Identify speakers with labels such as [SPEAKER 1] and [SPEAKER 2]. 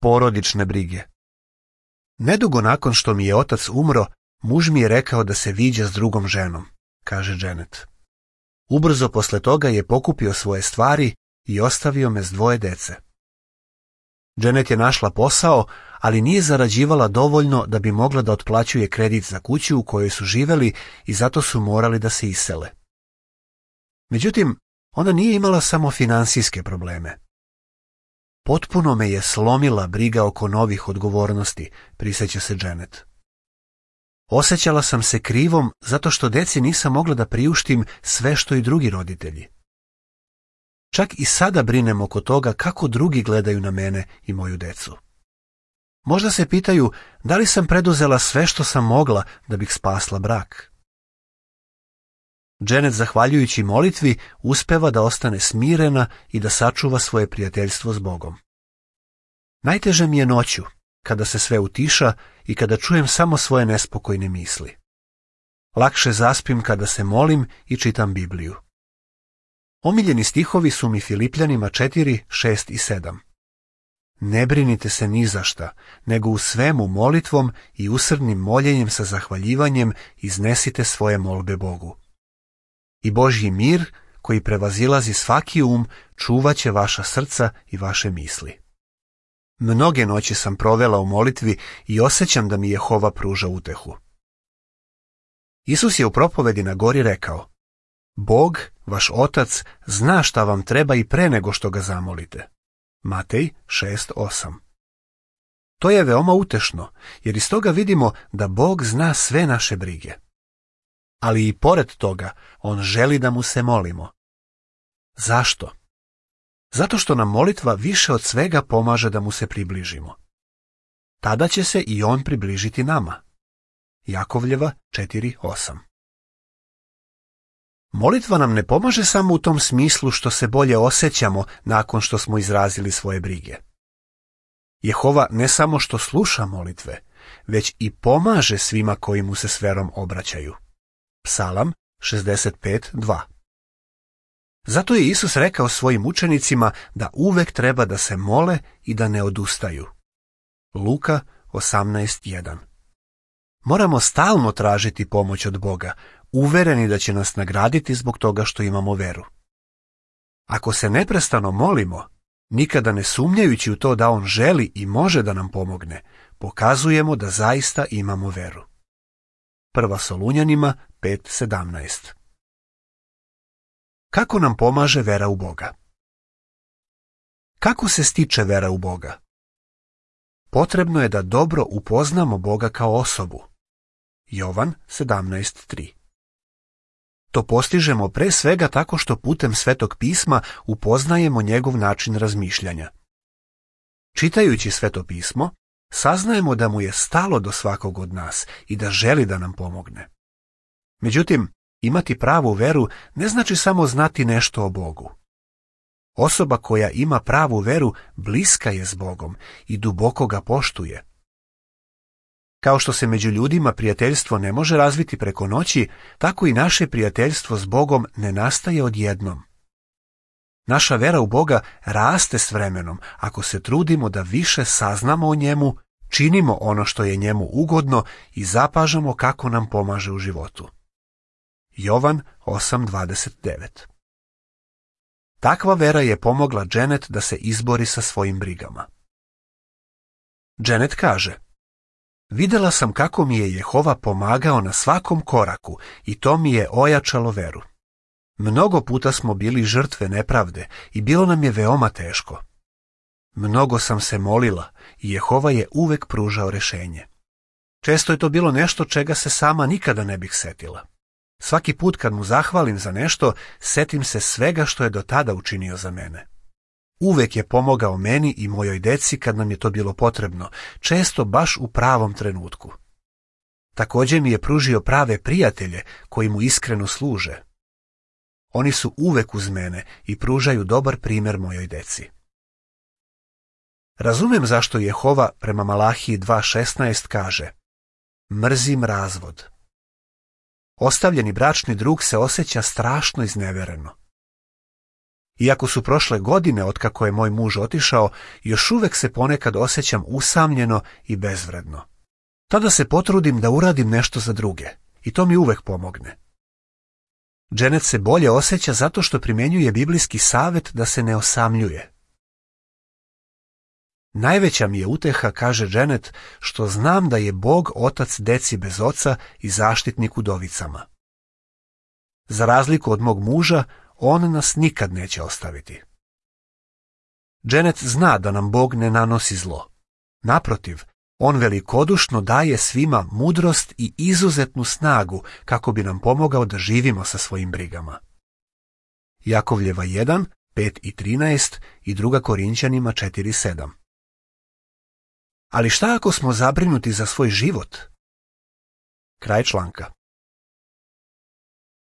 [SPEAKER 1] Porodične brige. Nedugo nakon što mi je otac umro, muž mi je rekao da se viđa s drugom ženom, kaže Janet. Ubrzo posle toga je pokupio svoje stvari i ostavio me s 2 dece. Janet je našla posao, ali nije zarađivala dovoljno da bi mogla da otplaćuje kredit za kuću u kojoj su živeli i zato su morali da se isele. Međutim, ona nije imala samo finansijske probleme. Potpuno me je slomila briga oko novih odgovornosti, prisjeća se Janet. Osjećala sam se krivom zato što deci nisam mogla da priuštim sve što i drugi roditelji. Čak i sada brinem oko toga kako drugi gledaju na mene i moju decu. Možda se pitaju da li sam preduzela sve što sam mogla da bih spasla brak. Janet, zahvaljujući molitvi, uspeva da ostane smirena i da sačuva svoje prijateljstvo s Bogom. Najteže mi je noću, kada se sve utiša i kada čujem samo svoje nespokojne misli. Lakše zaspim kada se molim i čitam Bibliju. Omiljeni stihovi su mi Filipljanima 4, 6 i 7. Ne brinite se ni za šta, nego u svemu molitvom i usrdnim moljenjem sa zahvaljivanjem iznesite svoje molbe Bogu. I Božji mir, koji prevazilazi svaki čuvaće vaša srca i vaše misli. Mnoge noći sam provela u molitvi i osjećam da mi Jehova pruža utehu. Isus je u propovedi na gori rekao: Bog, vaš Otac, zna šta vam treba i pre nego što ga zamolite. Matej 6:8. To je veoma utešno, jer iz toga vidimo da Bog zna sve naše brige. Ali i pored toga, on želi da mu se molimo. Zašto? Zato što nam molitva više od svega pomaže da mu se približimo. Tada će se i on približiti nama. Jakovljeva 4:8. Molitva nam ne pomaže samo u tom smislu što se bolje osjećamo nakon što smo izrazili svoje brige. Jehova ne samo što sluša molitve, već i pomaže svima koji mu se s verom obraćaju. Psalam 65:2. Zato je Isus rekao svojim učenicima da uvek treba da se mole i da ne odustaju. Luka 18:1. Moramo stalno tražiti pomoć od Boga, uvereni da će nas nagraditi zbog toga što imamo veru. Ako se neprestano molimo, nikada ne sumnjajući u to da on želi i može da nam pomogne, pokazujemo da zaista imamo veru. 1. Solunjanima 5:17. Kako nam pomaže vera u Boga? Kako se stiče vera u Boga? Potrebno je da dobro upoznamo Boga kao osobu. Jovan 17:3. To postižemo pre svega tako što putem Svetog pisma upoznajemo njegov način razmišljanja. Čitajući Sveto pismo, saznajemo da mu je stalo do svakog od nas i da želi da nam pomogne. Međutim, imati pravu veru ne znači samo znati nešto o Bogu. Osoba koja ima pravu veru bliska je s Bogom i duboko ga poštuje. Kao što se među ljudima prijateljstvo ne može razviti preko noći, tako i naše prijateljstvo s Bogom ne nastaje odjednom. Naša vera u Boga raste s vremenom ako se trudimo da više saznamo o njemu, činimo ono što je njemu ugodno i zapažamo kako nam pomaže u životu. Jovan 8:29. Takva vera je pomogla Janet da se izbori sa svojim brigama. Janet kaže: Videla sam kako mi je Jehova pomagao na svakom koraku i to mi je ojačalo veru. Mnogo puta smo bili žrtve nepravde i bilo nam je veoma teško. Mnogo sam se molila i Jehova je uvek pružao rešenje. Često je to bilo nešto čega se sama nikada ne bih setila. Svaki put kad mu zahvalim za nešto, setim se svega što je do tada učinio za mene. Uvek je pomogao meni i mojoj deci kad nam je to bilo potrebno, često baš u pravom trenutku. Također mi je pružio prave prijatelje koji mu iskreno služe. Oni su uvek uz mene i pružaju dobar primjer mojoj deci. Razumem zašto Jehova prema Malahiji 2:16 kaže: Mrzim razvod. Ostavljeni bračni drug se osjeća strašno iznevereno. Iako su prošle godine otkako je moj muž otišao, još uvek se ponekad osjećam usamljeno i bezvredno. Tada se potrudim da uradim nešto za druge i to mi uvek pomogne. Janet se bolje osjeća zato što primjenjuje biblijski savet da se ne osamljuje. Najveća mi je uteha, kaže Janet, što znam da je Bog otac deci bez oca i zaštitnik udovicama. Za razliku od mog muža, on nas nikad neće ostaviti. Janet zna da nam Bog ne nanosi zlo. Naprotiv, on velikodušno daje svima mudrost i izuzetnu snagu kako bi nam pomogao da živimo sa svojim brigama. Jakovljeva 1, 5 i 13 i 2 Korinćanima 4, 7. Ali šta ako smo zabrinuti za svoj život? Kraj članka.